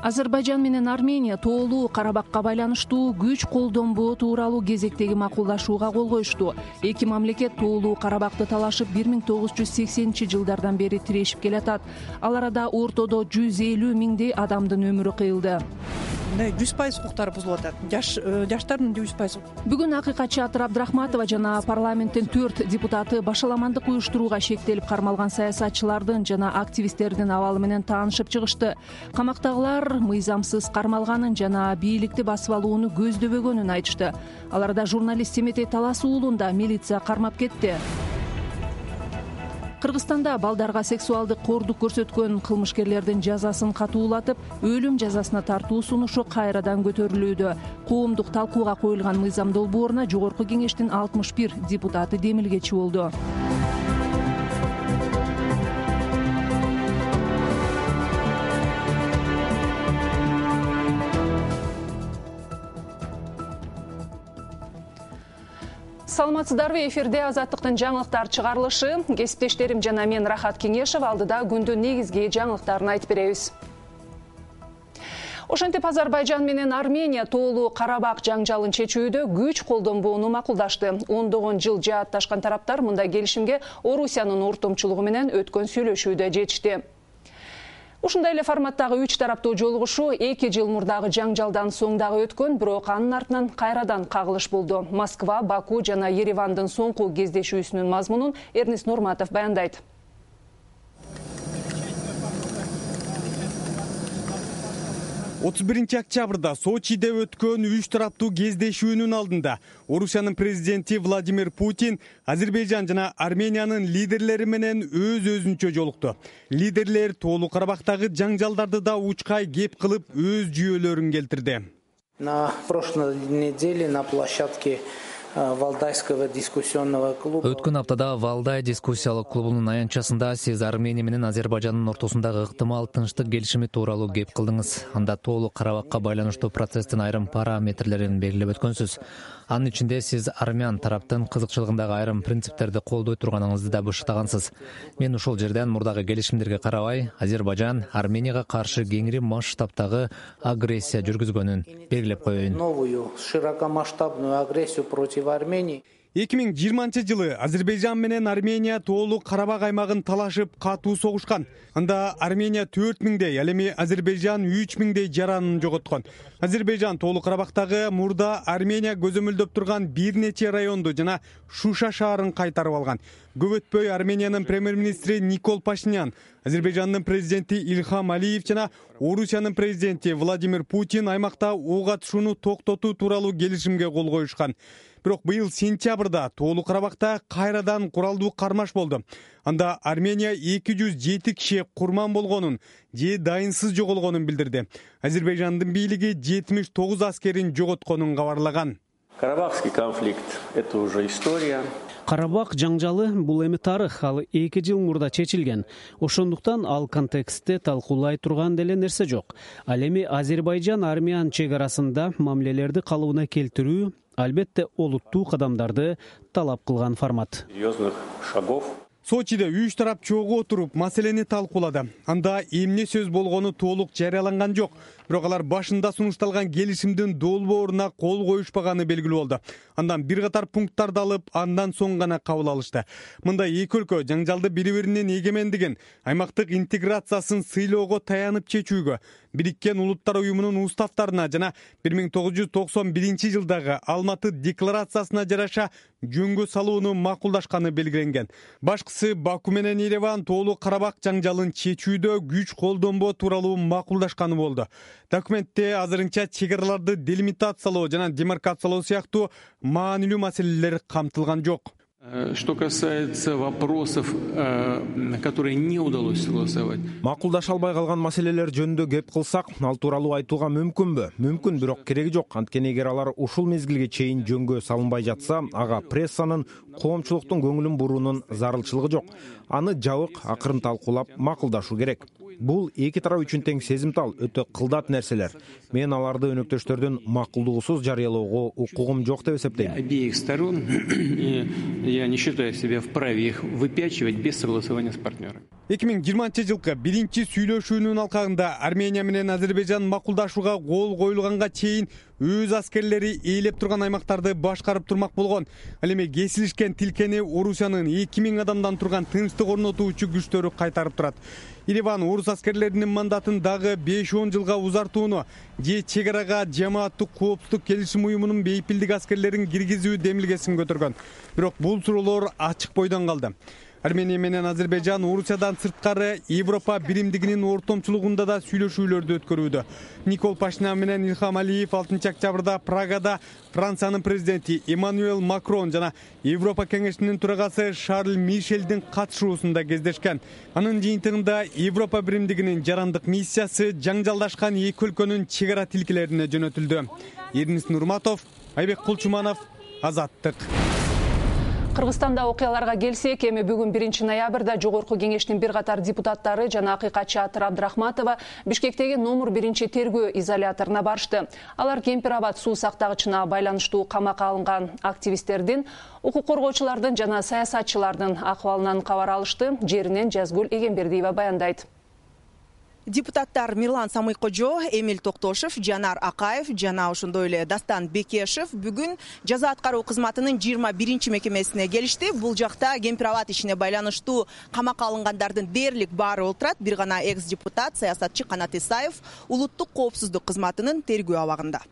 Азербайжан менен Армения тоолуу Карабакка байланыштуу күч колдонбоо тууралуу кезектеги макулдашууга кол коюшту. Эки мамлекет тоолуу Карабакты талашып 1980-жылдардан бери тирешип келатат. Ал арада ортодо 150 миңдей адамдын өмүрү кыйылды. 100% укуктары бузулуп атат. Жаштардын 100%. Бүгүн акыйкатчы Атыр Абдрахматова жана парламенттин 4 депутаты башаламандык уюштурууга шектелип кармалган саясатчылардын жана активисттердин абалы менен таанышып чыгышты. Камактагылар мыйзамсыз кармалганын жана бийликти басып алууну көздөбөгөнүн айтышты. Ал арада журналист Семетей Талас уулун да милиция кармап кетти. Кыргызстанда балдарга сексуалдык кордук көрсөткөн кылмышкерлердин жазасын катуулатып, өлүм жазасына тартуу сунушу кайрадан көтөрүлүүдө. Коомдук талкууга коюлган мыйзам долбооруна Жогорку Кеңештин 61 депутаты демилгечи болду. Саламатсыздарбы, эфирде Азаттыктын жаңылыктар чыгарылышы. Кесиптештерим жана мен Рахат Кеңешев алдыда күндүн негизги жаңылыктарын айтып беребиз. Ошентип Азербайжан менен Армения тоолуу Карабак жаңжалын чечүүдө күч колдонбоону макулдашты. Ондогон жыл жаатташкан тараптар мындай келишимге Орусиянын ортомчулугу менен өткөн сүйлөшүүдө жетишти. Ушундай эле форматтагы 3 тараптуу жолугушуу 2 жыл мурдагы жаңжалдан соң дагы өткөн, бирок анын артынан кайрадан кагылыш болду. Москва, Баку жана Еревандын соңку кездешүүсүнүн мазмунун Эрнис Нурматов баяндайт. 31 октябрда Сочиде өткөн 3 тараптуу кездешүүнүн алдында Орусиянын президенти Владимир Путин Азербайжан жана Армениянын лидерлери менен өз-өзүнчө жолукту. Лидерлер тоолуу Карабактагы жаңжалдарды да учкай кеп кылып өз жүйөлөрүн келтирди. На прошлой неделе на площадке Валдайского дискуссионного клуба. Өткөн аптада Валдай дискуссиялык клубунун аянтчасында сиз Армения менен Азербайжандын ортосундагы ыктымал тынчтык келишими тууралуу кеп кылдыңыз. Анда тоолуу Карабакка байланыштуу процесстин айрым параметрлерин белгилеп өткөнсүз. Анын ичинде сиз армян тараптын кызыкчылыгындагы айрым принциптерди колдой турганыңызды да бышыктагансыз. Мен ушул жерден мурдагы келишимдерге карабай, Азербайжан Арменияга каршы кеңири масштабтагы агрессия жүргүзгөнүн белгилеп коеюн. Новую широкомасштабную агрессию против Армении. 2020 Азербайжан менен Армения тоолуу Карабак аймагын талашып катуу согушкан. Анда Армения 4 миңдей, ал эми Азербайжан 3 миңдей жаранын жоготкон. Азербайжан тоолуу Карабактагы мурда Армения көзөмөлдөп турган бир нече районду жана Шуша шаарын кайтарып алган. Көп өтпөй Армениянын премьер-министри Никол Пашинян, Азербайжандын президенти Ильхам Алиев жана Орусиянын президенти Владимир Путин аймакта ок атышууну токтотуу тууралуу келишимге кол коюшкан. Бирок быйыл сентябрда тоолуу Карабакта кайрадан куралдуу кармаш болду. Анда Армения 207 киши курман болгонун же дайынсыз жоголгонун билдирди. Азербайжандын бийлиги 79 аскерин жоготконун кабарлаган. Карабахский конфликт – это уже история. Карабак жаңжалы бул эми тарых, ал 2 жыл мурда чечилген. Ошондуктан ал контекстте талкуулай турган деле нерсе жок. Ал эми Азербайжан-Армян чек арасында мамилелерди калыбына келтирүү албетте олуттуу кадамдарды талап кылган формат. Серьезных шагов. Сочиде 3 тарап чогуу отуруп маселени талкуулады. Анда эмне сөз болгону толук жарыяланган жок. Бирок алар башында сунушталган келишимдин долбооруна кол коюшпаганы белгилүү болду. Андан бир катар пункттарды алып, андан соң гана кабыл алышты. Мындай эки өлкө жаңжалды бири-биринин эгемендигин, аймактык интеграциясын сыйлоого таянып чечүүгө, Бириккен Улуттар уюмунун уставтарына жана 1991 жылдагы Алматы декларациясына жараша жөнгө салууну макулдашканы белгиленген. Башкысы Баку менен Ереван тоолуу Карабак жаңжалын чечүүдө күч колдонбоо тууралуу макулдашканы болду. Документте азырынча чек араларды делимитациялоо жана демаркациялоо сыяктуу маанилүү маселелер камтылган жок. Что касается вопросов, которые не удалось согласовать. Макулдаша албай калган маселелер жөнүндө кеп кылсак, ал тууралуу айтууга мүмкүнбү? Мүмкүн, бирок кереги жок. Анткени эгер алар ушул мезгилге чейин жөнгө салынбай жатса, ага прессанын, коомчулуктун көңүлүн буруунун зарылчылыгы жок. Аны жабык, акырын талкуулап макулдашуу керек. Бул эки тарап үчүн тең сезимтал, өтө кылдат нерселер. Мен аларды өнөктөштөрдүн макулдугусуз жарыялоого укугум жок деп эсептейм. Обеих сторон я не считаю себя вправе их выпячивать без согласования с партнерами. 2020-жылкы биринчи сүйлөшүүнүн алкагында Армения менен Азербайжан макулдашууга кол коюлганга чейин өз аскерлери ээлеп турган аймактарды башкарып турмак болгон. Ал эми кесилишкен тилкени Орусиянын 2000 адамдан турган тынчтык орнотуучу күчтөрү кайтарып турат. Ереван орус аскерлеринин мандатын дагы 5-10 жылга узартууну же чек арага жамааттык коопсуздук келишим уюмунун бейпилдик аскерлерин киргизүү демилгесин көтөргөн. Бирок бул суроолор ачык бойдон калды. Армения менен Азербайжан Орусиядан сырткары Европа биримдигинин ортомчулугунда да сүйлөшүүлөрдү өткөрүүдө. Никол Пашинян менен Илхам Алиев 6-октябрда Прагада Франциянын президенти Эммануэль Макрон жана Европа кеңешинин төрагасы Шарль Мишелдин катышуусунда кездешкен. Анын жыйынтыгында Европа биримдигинин жарандык миссиясы жаңжалдашкан эки өлкөнүн чек ара тилкелерине жөнөтүлдү. Эрнис Нурматов, Айбек Кулчуманов, Азаттык. Кыргызстанда окуяларга келсек, эми бүгүн 1-ноябрда Жогорку кеңештин бир катар депутаттары жана акыйкатчы Атыр Абдрахматова Бишкектеги номер 1 тергөө изоляторуна барышты. Алар Кемпир-Абад суу сактагычына байланыштуу камакка алынган активисттердин, укук коргоочулардын жана саясатчылардын акыбалынан кабар алышты. Жеринен Жазгүл Эгембердиева баяндайт. Депутаттар Мирлан Самыйкожо, Эмиль Токтошев, Жанар Акаев жана ошондой эле Дастан Бекешев бүгүн жаза аткаруу кызматынын 21 мекемесине келишти. Бул жакта Кемпир-Абад ишине байланыштуу камакка алынгандардын дээрлик баары олтурат. Бир гана экс-депутат, саясатчы Канат Исаев улуттук коопсуздук кызматынын тергөө абагында.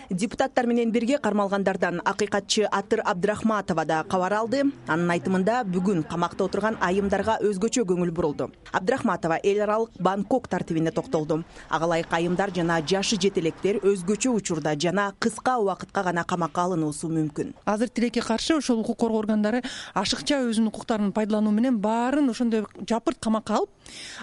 Депутаттар менен бирге кармалгандардан акыйкатчы Атыр Абдрахматова да кабар алды. Анын айтымында бүгүн камакта отурган айымдарга өзгөчө көңүл бурулду. Абдрахматова эл аралык Бангкок тартибине токтолду. Ага ылайык айымдар жана жашы жетелектер өзгөчө учурда жана кыска убакытка гана камакка алынуусу мүмкүн. Азыр тилекке каршы ошол укук коргоо органдары ашыкча өзүнүн укуктарын пайдалануу менен баарын ошондой жапырт камакка алып,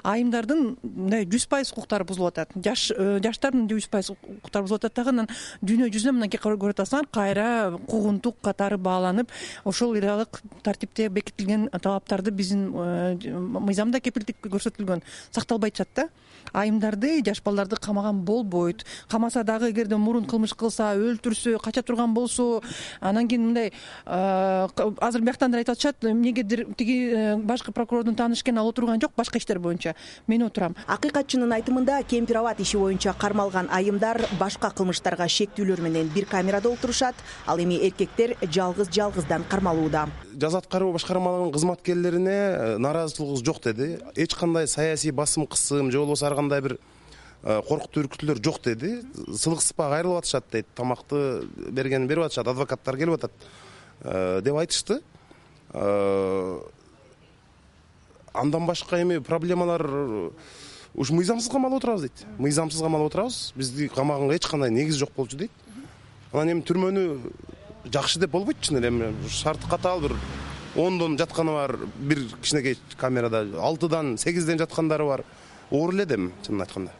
айымдардын 100% укуктары бузулуп атат. Жаштардын 100% укуктары бузулуп атат дагы. Дүйнө жүзүнө мынакей көрүп атасыңар, кайра куугунтук катары бааланып, ошол иралык тартипте бекитилген талаптарды биздин мыйзамда кепилдик көрсөтүлгөн сакталбай жатат да. Айымдарды, жаш балдарды камаган болбойт. Камаса дагы эгерде мурун кылмыш кылса, өлтүрсө, кача турган болсо, анан кийин мындай азыр бияктан айтып атышат, эмнегедир тиги башкы прокурордун тааныш экенин алып турган жок, башка иштер боюнча. Мен отурам. Акыйкатчынын айтымында Кемпир-Абад иши боюнча кармалган айымдар башка кылмыштарга шектүүлөр менен бир камерада отурушат. Ал эми эркектер жалгыздан кармалууда. Жаза аткаруу башкармалыгынын кызматкерлерине нааразычылыгыбыз жок деди. Эч кандай саясий басым, кысым же болбосо ар кандай бир коркутуу үркүтүүлөр жок деди. Сылык сыпак айрылып атышат дейт. Тамакты бергенин берип атышат, адвокаттар келип атат деп айтышты. Андан башка эми проблемалар ушу мыйзамсыз камалып отурабыз дейт. Мыйзамсыз камалып отурабыз. Бизди камаганга эч кандай негиз жок болчу дейт. Анан эми түрмөнү жакшы деп болбойт чын эле. Шарты катаал бир 10дон жатканы бар, бир кичинекей камерада 6дан 8ден жаткандары бар. Оор эле дем, чынын айтканда.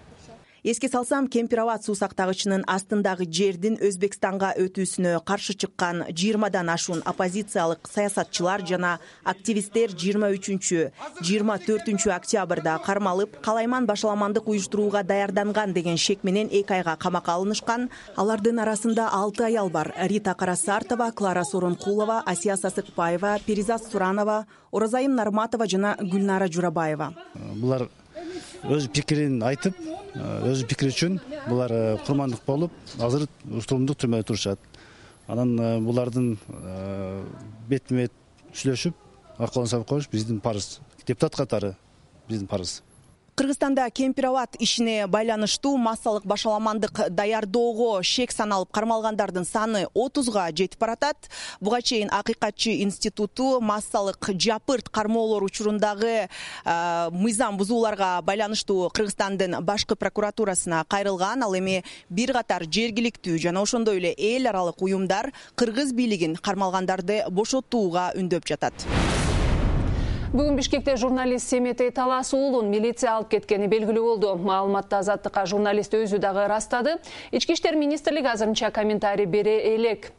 Эске салсам, Кемпир-Абад суу сактагычынын астындагы жердин Өзбекстанга өтүүсүнө каршы чыккан 20дан ашуун оппозициялык саясатчылар жана активисттер 23-24 октябрда кармалып, калайман башаламандык уюштурууга даярданган деген шек менен 2 айга камакка алынышкан. Алардын арасында 6 аял бар: Рита Карасартова, Клара Соронкулова, Асия Сасыкбаева, Перизат Суранова, Оразайым Нарматова жана Гүлнара Журабаева. Булар өз пикирин айтып, өз пикири үчүн булар курмандык болуп, азыр уштурумдук түрмөдө турушат. Анан булардын бетме-бет сүйлөшүп, акылын сабып коюш биздин парыз. Депутат катары биздин парыз. Кыргызстанда Кемпир-Абад ишине байланыштуу массалык башаламандык даярдоого шек саналып кармалгандардын саны 30га жетип баратат. Буга чейин Акыйкатчы институту массалык жапырт кармоолор учурундагы мыйзам бузууларга байланыштуу Кыргызстандын башкы прокуратурасына кайрылган. Ал эми бир катар жергиликтүү жана ошондой эле эл аралык уюмдар кыргыз бийлигин кармалгандарды бошотууга үндөп жатат. Бүгүн Бишкекте журналист Семетей Талас уулун милиция алып кеткени белгилүү болду. Маалыматты Азаттыкка журналист өзү дагы ырастады. Ички иштер министрлиги азырынча комментарий бере элек.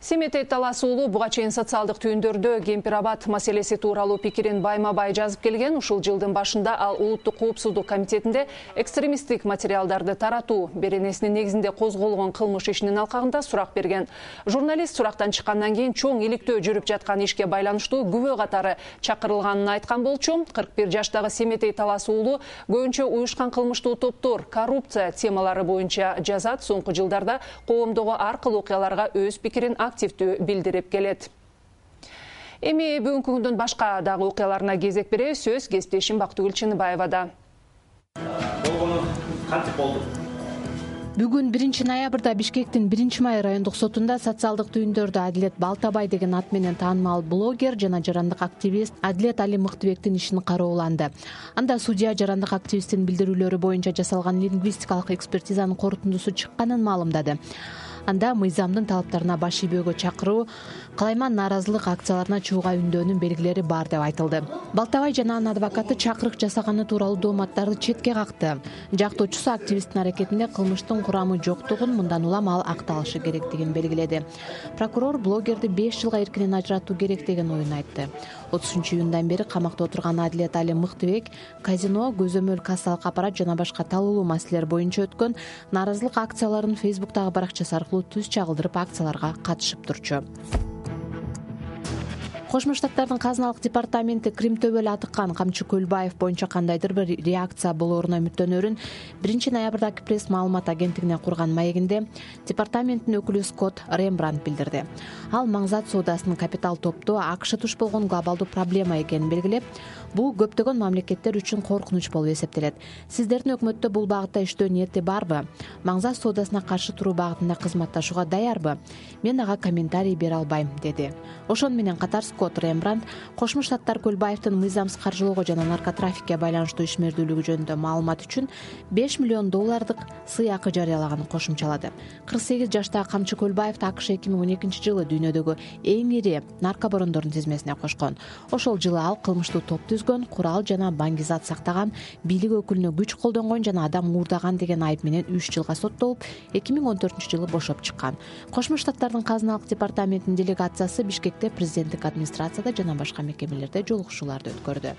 Семетей Талас уулу буга чейин социалдык түйүндөрдө Кемпир-Абад маселеси тууралуу пикирин байма-бай жазып келген. Ушул жылдын башында ал Улуттук коопсуздук комитетинде экстремисттик материалдарды таратуу беренесинин негизинде козголгон кылмыш ишинин алкагында сурак берген. Журналист сурактан чыккандан кийин чоң иликтөө жүрүп жаткан ишке байланыштуу күбө катары чакырылганын айткан болчу. 41 жаштагы Семетей Талас уулу көбүнчө уюшкан кылмыштуу топтор, коррупция темалары боюнча жазат. Соңку жылдарда коомдогу ар кыл окуяларга өз пикирин активдүү билдирип келет. Эми бүгүнкү күндүн башка дагы окуяларына кезек беребиз. Сөз кесиптешим Бактыгүл Чыныбаевада. Кантип болду? Бүгүн 1 ноябрда Бишкектин 1 май райондук сотунда социалдык түйүндөрдө Адилет Балтабай деген ат менен таанымал блогер жана жарандык активист Адилет Али Мыктыбектин ишин карооланды. Анда судья жарандык активисттин билдирүүлөрү боюнча жасалган лингвистикалык экспертизанын корутундусу чыкканын маалымдады. Анда мыйзамдын талаптарына баш ийбөөгө чакыруу, калайман нааразылык акцияларына чыгууга үндөөнүн белгилери бар деп айтылды. Балтабай жана анын адвокаты чакырык жасаганы тууралуу дооматтарды четке какты. Жактоочусу активисттин аракетинде кылмыштын курамы жоктугун, мындан улам ал акталышы керектигин белгиледи. Прокурор блогерди 5 жылга эркинен ажыратуу керек деген оюн айтты. 30-июндан бери камакта отурган Адилет Али Мыктыбек казино, көзөмөл кассалык аппарат жана башка талуулуу маселелер боюнча өткөн нааразылык акцияларын Фейсбуктагы баракчасы аркылуу түз чагылдырып акцияларга катышып турчу. Кошмо Штаттардын казыналык департаменти Крим төбөлү атыккан Камчы Көлбаев боюнча кандайдыр бир реакция болооруна үмүттөнөрүн 1 ноябрдагы пресс маалымат агенттигине курган маегинде департаменттин өкүлү Скотт Рембрандт билдирди. Ал маңзат соодасынын капитал топтоо АКШ туш болгон глобалдуу проблема экенин белгилеп, бул көптөгөн мамлекеттер үчүн коркунуч болуп эсептелет. Сиздердин өкмөттө бул багытта иштөө ниети барбы? Маңзат соодасына каршы туруу багытында кызматташууга даярбы? Мен ага комментарий бере албайм, деди. Ошону менен катар Скотт Рембрандт Кошмо Штаттар Көлбаевдин мыйзамсыз каржылоого жана наркотрафикке байланыштуу ишмердүүлүгү жөнүндө маалымат үчүн $5 миллион сый акы жарыялаганын кошумчалады. 48 жаштагы Камчы Көлбаевди АКШ 2012 жылы дүйнөдөгү эң ири наркобарондордун тизмесине кошкон. Ошол жылы ал кылмыштуу топ түзгөн, курал жана баңгизат сактаган, бийлик өкүлүнө күч колдонгон жана адам уурдаган деген айып менен 3 жылга соттолуп, 2014 жылы бошоп чыккан. Кошмо Штаттардын казыналык департаментинин делегациясы Бишкекте президенттик администрацияда жана башка мекемелерде жолугушууларды өткөрдү.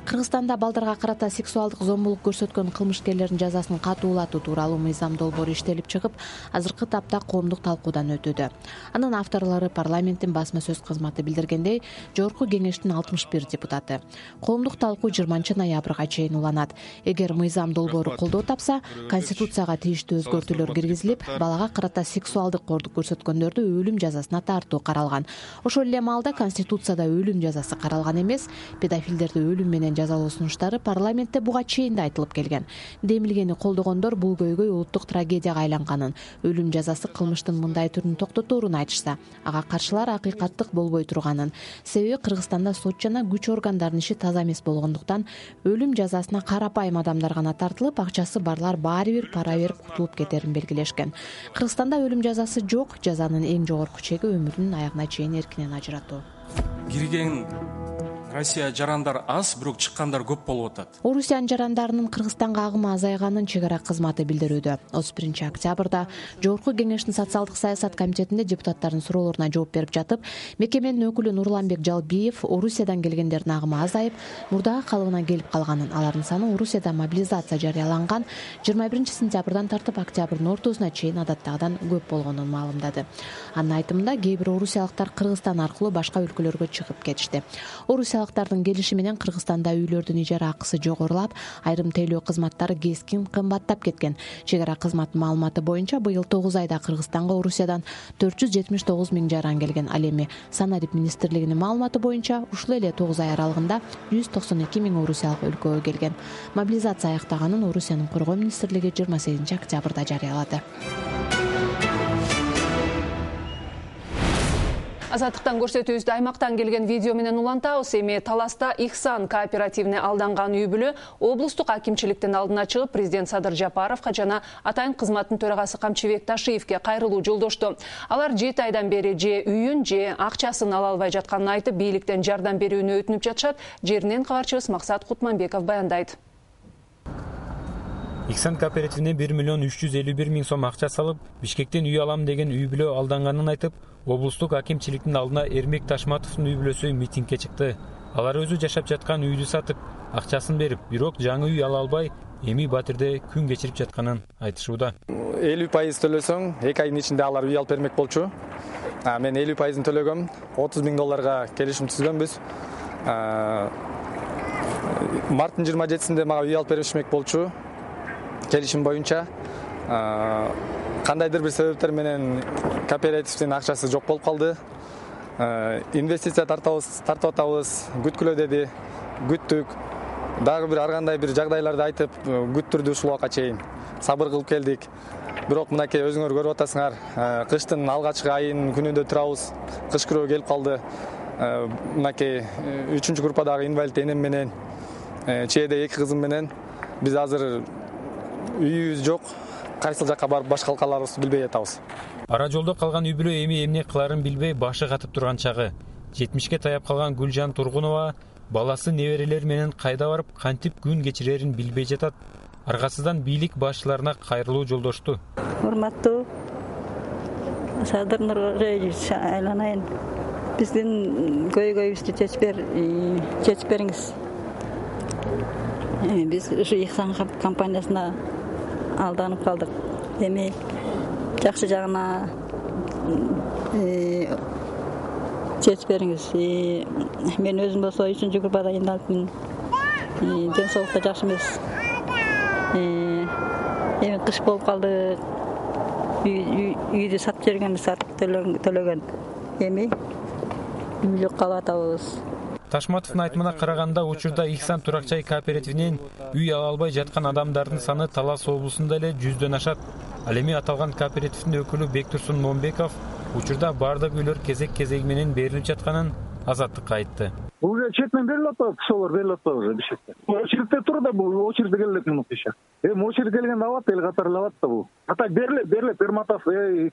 Кыргызстанда балдарга карата сексуалдык зомбулук көрсөткөн кылмышкерлердин жазасын катуулатуу тууралуу мыйзам долбоору иштелип чыгып, азыркы тапта коомдук талкуудан өтүүдө. Анын авторлору парламенттин басма сөз кызматы билдиргендей, Жогорку кеңештин 61 депутаты. Коомдук талкуу 20 ноябрга чейин уланат. Эгер мыйзам долбоору колдоо тапса, конституцияга тийиштүү өзгөртүүлөр киргизилип, балага карата сексуалдык кордук көрсөткөндөрдү өлүм жазасына тартуу каралган. Ошол эле маалда конституцияда өлүм жазасы каралган эмес, педофилдерди өлүм менен жазалоо сунуштары парламентте буга чейин да айтылып келген. Демилгени колдогондор бул көйгөй улуттук трагедияга айланганын, өлүм жазасы кылмыштын мындай түрүн токтоторун айтышса, ага каршылар акыйкаттык болбой турганын. Себеби Кыргызстанда сот жана күч органдарынын иши таза эмес болгондуктан өлүм жазасына карапайым адамдар гана тартылып, акчасы барлар баары бир пара берип кутулуп кетерин белгилешкен. Кыргызстанда өлүм жазасы жок, жазанын эң жогорку чеги өмүрүнүн аягына чейин эркинен ажыратуу. Кирген Россия жарандар аз, бирок чыккандар көп болуп атат. Орусиянын жарандарынын Кыргызстанга агымы азайганын чек ара кызматы билдирүүдө. 31 октябрда Жогорку кеңештин социалдык саясат комитетинде депутаттардын суроолоруна жооп берип жатып, мекеменин өкүлү Нурланбек Жалбиев Орусиядан келгендердин агымы азайып, мурдагы калыбына келип калганын, алардын саны Орусияда мобилизация жарыяланган 21 сентябрдан тартып октябрдын ортосуна чейин адаттагыдан көп болгонун маалымдады. Анын айтымында кээ бир орусиялыктар Кыргызстан аркылуу башка өлкөлөргө чыгып кетишти. Орусиялыктардын келиши менен Кыргызстанда үйлөрдүн ижара акысы жогорулап, айрым тейлөө кызматтары кескин кымбаттап кеткен. Чек ара кызматынын маалыматы боюнча быйыл 9 айда Кыргызстанга Орусиядан 479 000 жаран келген. Ал эми Санарип министрлигинин маалыматы боюнча ушул эле 9 ай аралыгында 192 000 орусиялык өлкөгө келген. Мобилизация аяктаганын Орусиянын коргоо министрлиги 28 октябрда жарыялады. Азаттыктан көрсөтүүбүздү аймактан келген видео менен улантабыз. Эми Таласта Ихсан кооперативине алданган үй бүлө облустук акимчиликтин алдына чыгып, президент Садыр Жапаровго жана атайын кызматтын төрагасы Камчыбек Ташиевке кайрылуу жолдошту. Алар 7 айдан бери же үйүн, же акчасын ала албай жатканын айтып, бийликтен жардам берүүнү өтүнүп жатышат. Жеринен кабарчыбыз Максат Кутманбеков баяндайт. Ихсан кооперативине 1 миллион 351 миң сом акча салып, Бишкектен үй алам деген үй бүлө алданганын айтып, облустук акимчиликтин алдына Эрмек Ташматовдун үй бүлөсү митингге чыкты. Алар өзү жашап жаткан үйдү сатып, акчасын берип, бирок жаңы үй ала албай, эми Батирде күн кечирип жатканын айтышууда. 50% төлөсөң, 2 айдын ичинде алар үй алып бермек болчу. Мен 50%-ын төлөгөм, $30,000 келишим түзгөнбүз. Марттын 27-синде мага үй алып беришмек болчу. Келишим боюнча кандайдыр бир себептер менен кооперативдин акчасы жок болуп калды. Инвестиция тартып атабыз, күткүлө деди, күттүк. Дагы бир ар кандай бир жагдайларды айтып, күттүрдү ушул убакка чейин. Сабыр кылып келдик. Бирок мынакей өзүңөр көрүп атасыңар, кыштын алгачкы айынын күнүндө турабыз. Кыш күрөө келип калды. Мынакей 3-чү группадагы инвалид энем менен, чээде 2 кызым менен биз азыр үйүбүз жок. Кайсыл жакка барып баш калкаларыбызды билбей атабыз. Ара жолдо калган үй бүлө эми эмне кыларын билбей башы катып турган чагы. 70-ке таяп калган Гүлжан Тургунова баласы неберелери менен кайда барып, кантип күн кечирерин билбей жатат. Аргасыздан бийлик башчыларына кайрылуу жолдошту. Урматтуу Садыр Нургаевич айланайын. Биздин көйгөйүбүздү чечип бериңиз. Биз ушу Ихсан компаниясына алданып калдык. Эми жакшы жагына чечип бериңиз. Мен өзүм болсо 3-чү группада инвалидмин. Ден соолукта жакшы эмес. Эми кыш болуп калды. Үйдү сатып жибергенбиз, сатып төлөгөн. Эми үй жок калып атабыз. Ташматовдун айтымына караганда, учурда Ихсан турак-жай кооперативинен үй ала албай жаткан адамдардын саны Талас облусунда эле 100дөн ашат. Ал эми аталган кооперативдин өкүлү Бектурсун Момбеков учурда бардык үйлөр кезек-кезеги менен берилип жатканын Азаттыкка айтты. Уже четмен берилип атат, кишилер берилип атат уже Бишкекте. Очередте тур да, бул очередте келет минут иши. Очередь келгенде алат, эл катары алат да бул. Ата берилет, Перматов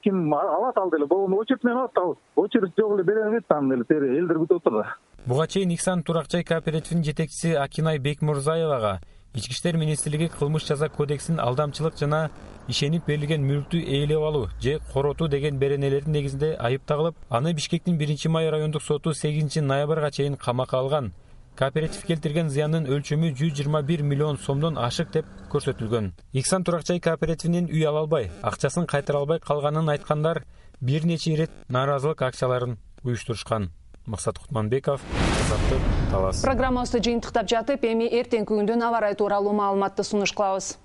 ким алат ал деле. Бул очередь менен алат да. Очередь жок эле бере берет аны деле, элдер күтүп отур да. Буга чейин Ихсан турак-жай кооперативинин жетекчиси Акинай Бекмурзаевага Ички иштер министрлиги кылмыш жаза кодексинин алдамчылык жана ишенип берилген мүлктү ээлеп алуу же коротуу деген беренелердин негизинде айып тагылып, аны Бишкектин 1-Май райондук соту 8-ноябрга чейин камакка алган. Кооператив келтирген зыяндын өлчөмү 121 миллион сомдон ашык деп көрсөтүлгөн. Ихсан турак-жай кооперативинен үй ала албай, акчасын кайтара албай калганын айткандар бир нече ирет нааразылык акцияларын уюштурушкан. Максат Кутманбеков, Азаттык, Талас. Программабызды жыйынтыктап жатып, эми эртеңки күндүн аба ырайы тууралуу маалыматты сунуш кылабыз.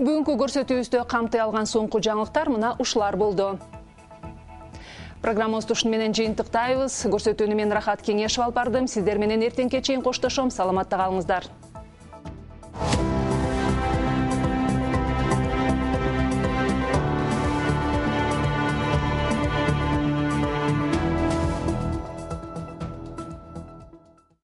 Бүгүнкү көрсөтүүбүздө камтый алган соңку жаңылыктар мына ушулар болду. Программабызды ушуну менен жыйынтыктайбыз. Көрсөтүүнү мен Рахат Кеңешев алып бардым. Сиздер менен эртеңке чейин коштошом. Саламатта калыңыздар.